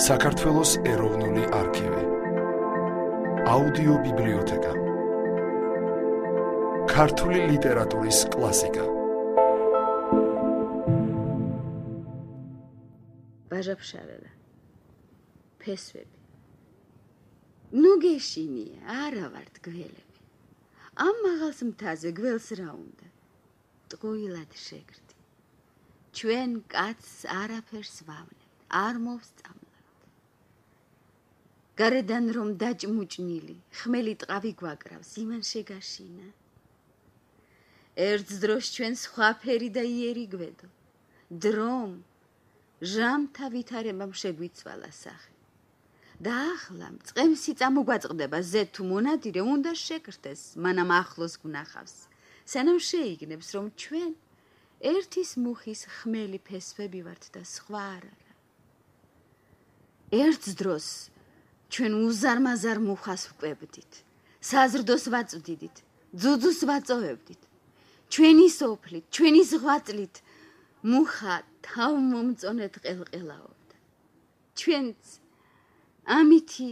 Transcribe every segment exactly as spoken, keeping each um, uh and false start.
საქართველოს ეროვნული არქივი, აუდიო ბიბლიოთეკა, ქართული ლიტერატურის კლასიკა. ბაჟაფშარელა, ფესვები. ნუ გეშინია, არა ვართ გველები. ამ მაღალს მთაზე გველს რა უნდა? ტყუილად შეგრდი. ჩვენ კაცს არაფერს ვავნებთ, არ მოვსწამლავთ. გარედან რომ დაჭმუჭნილი, ხმელი ტყავი გვაკრავს, იმან შეგაშინა. ერთ დროს ჩვენ სხვაფერი და იერი გვედო. დრომ ჟამთა ვითარებამ შეგვიცვალა სახე. და ახლა მწყემსი წამოგვაწყდება ზე თუ მონადირე უნდა შეკრდეს, მანამ ახლოს გვნახავს. სანამ შეიგნებს, რომ ჩვენ ერთის მუხის ხმელი ფესვები ვართ და სხვა არ არა. ერთ დროს ჩვენ უზარმაზარ მუხას ვკვებდით, საზრდოს ვაწვდიდით, ძუძუს ვაწოვებდით. ჩვენი სოფლით, ჩვენი ზღვაწლით მუხა თავმომწონედ ყელყელაობდა. ჩვენც ამითი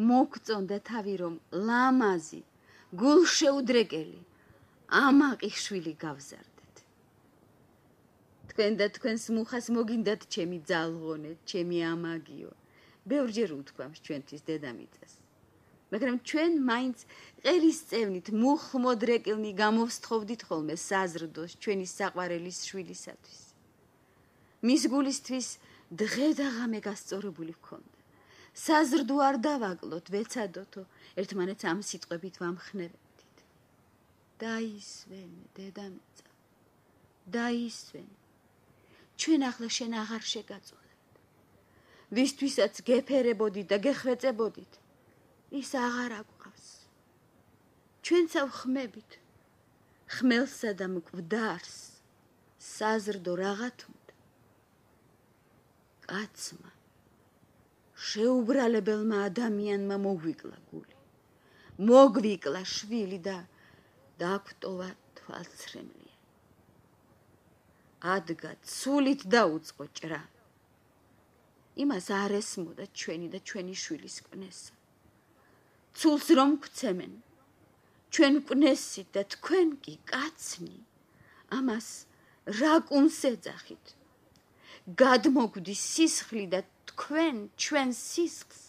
მოგწონდა თავი, რომ ლამაზი, გულშეუდრეკელი, ამაყი შვილი გავზარდეთ. თქვენ და თქვენს მუხას მოგინდათ ჩემი ძალღონე, ჩემი ამაგიო. ბევრჯერ უთქვამს ჩვენთვის დედამიწას. მაგრამ ჩვენ მაინც ყელის წევნით მუხმოდრეკილნი გამოვსთხოვდით ხოლმე საზრდოს ჩვენი საყვარელის შვილისათვის. მის გულისთვის დღე და ღამე გასწორებული ვქონდა. საზრდო არ დავაკლოთ, ვეცადოთო, ერთმანეთს ამ სიტყვებით ვამხნევებდით. დაისვენე, დედამიწა, დაისვენე. ჩვენ ახლა შენ აღარ შეგაწუხებთ. ვისთვისაც გეფერებოდით და გეხვეწებოდით, ის აღარ აგვყავს. ჩვენცა ვხმებით, ხმელსა და მკვდარს, საზრდო რაღაც უნდა. კაცმა, შეუბრალებელმა ადამიანმა მოგვიკლა გული, მოგვიკლა შვილი და დაგვტოვა თვალცრემლია. ადგა ცულით დაუწყო ჭრა. იმას არ ესმოდა ჩვენი და ჩვენი შვილის კვნესა. ცულს რომ გვცემენ, ჩვენ კვნესით და თქვენ კი კაცნი, ამას რა კუნს ეძახით? გადმოგვდის სისხლი და თქვენ ჩვენ სისხლს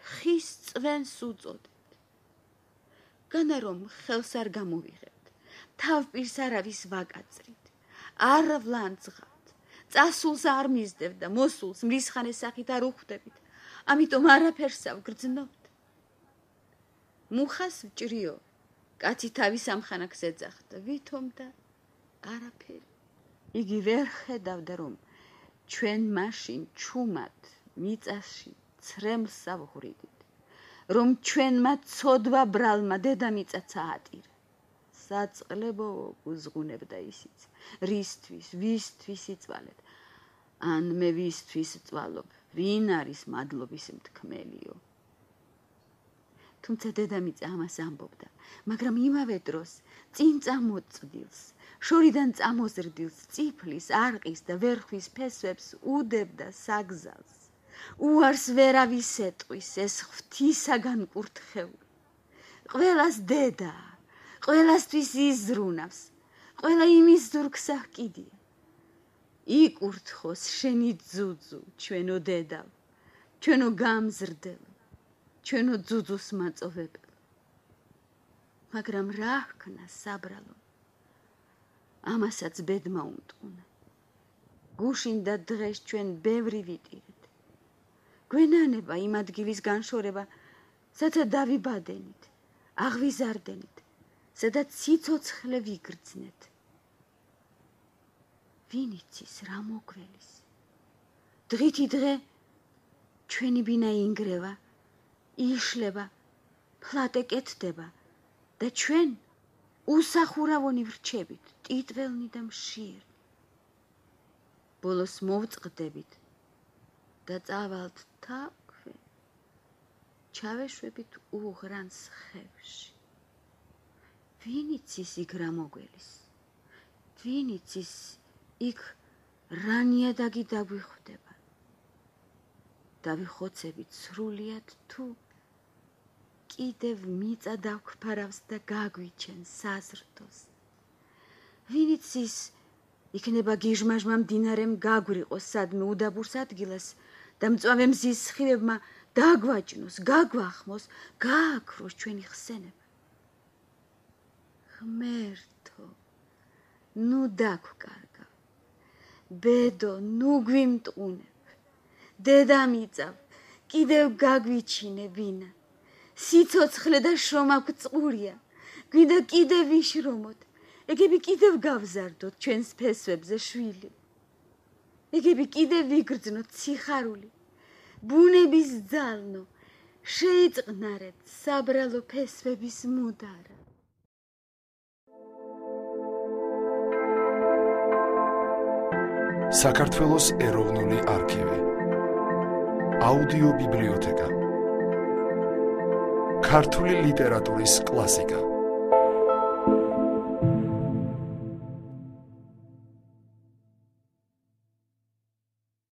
ხის წვენს უწოდებთ. განა რომ ხელს არ გამოვიღებთ, თავპირს არავის ვაკაწრით, არ ვლანძღავთ, წასულს არ მისდევთ და მოსულს მრისხანეს სახით არ უხვდებით, ამიტომ არაფერს ავგრძნობთ. მუხას ვჭრიო, კაცი თავის ამხანაკს ეძახდა, ვითომ და არაფერი. იგი ვერ ხედავდა, რომ ჩვენ მაშინ ჩუმად მიწაში ცრემლს ავღვრიდით, რომ ჩვენმა ცოდვა ბრალმა დედამიწაც აატირა. საწყლებო გუზღუნებდა ისიც, რისთვის, ვისთვის იცვალეთ, ან მე ვისთვის წვალობ, ვინ არის მადლობის მთქმელიო. თუმცა დედამიწა ამას ამბობდა, მაგრამ იმავე დროს წინ წამოწვდილს, შორიდან წამოზრდილს, წიფლის, არყის და ვერხვის ფესვებს უდებდა საგზალს. უარს ვერავის ეტყვის ეს ღვთისაგან კურთხეული. ყველას დედა, ყველასთვის იზრუნავს, ყველა იმის ზურგს აჰკიდია. იკურთხოს შენი ძუძუ, ჩვენო დედავ, ჩვენო გამზრდელო, ჩვენო ძუძუს მაწოვებელო. მაგრამ რა ჰქნა საბრალო? ამასაც ბედმა უმტყუნა. გუშინ და დღეს ჩვენ ბევრი ვიტირეთ. გვენანება იმ ადგილის განშორება, სადაც დავიბადენით, აღვიზარდენით, სადაც სიცოცხლე ვიგრძნეთ. ვინ იცის რა მოგველის? დღითი დღე ჩვენი ბინა ინგრევა, იშლება, ფლატე კეთდება და ჩვენ უსახურავონი ვრჩებით, ტიტველნი და მშიერი. ბოლოს მოვწყდებით და წავალთ თაქვე, ჩავეშვებით უღრანს ხევში. ვინ იცის იქ რა მოგველის? ვინ იცის იქ რა ნიადაგი დაგვიხვდება? დავიხოცებით სრულიად თუ კიდევ მიწა დავქფარავს და გაგვიჩენს საზრდოს. ვინიც ის იქნება გიჟმაჟმა მდინარემ გაგვრიყოს სადმე უდაბურს ადგილას და მწვავე მზის სხივებმა დაგვაჭნოს, გაგვახმოს, გააქროს ჩვენი ხსენება. ღმერთო, ნუ დაგვკარგავ. ბედო, ნუ გვიმტყუნებ. დედამიწავ, კიდევ გაგვიჩინე ვინა. სიცოცხლე და შრომა გვწყურია. გვინდა კიდევ ვიშრომოთ. ეგები კიდევ გავზარდოთ ჩვენს ფესვებზე შვილი. ეგები კიდევ ვიგრძნოთ სიხარული. ბუნების ძალნო, შეიწყნარეთ საბრალო ფესვების მუდარა. საქართველოს ეროვნული არქივი. აუდიო ბიბლიოთეკა. ქართული ლიტერატურის კლასიკა.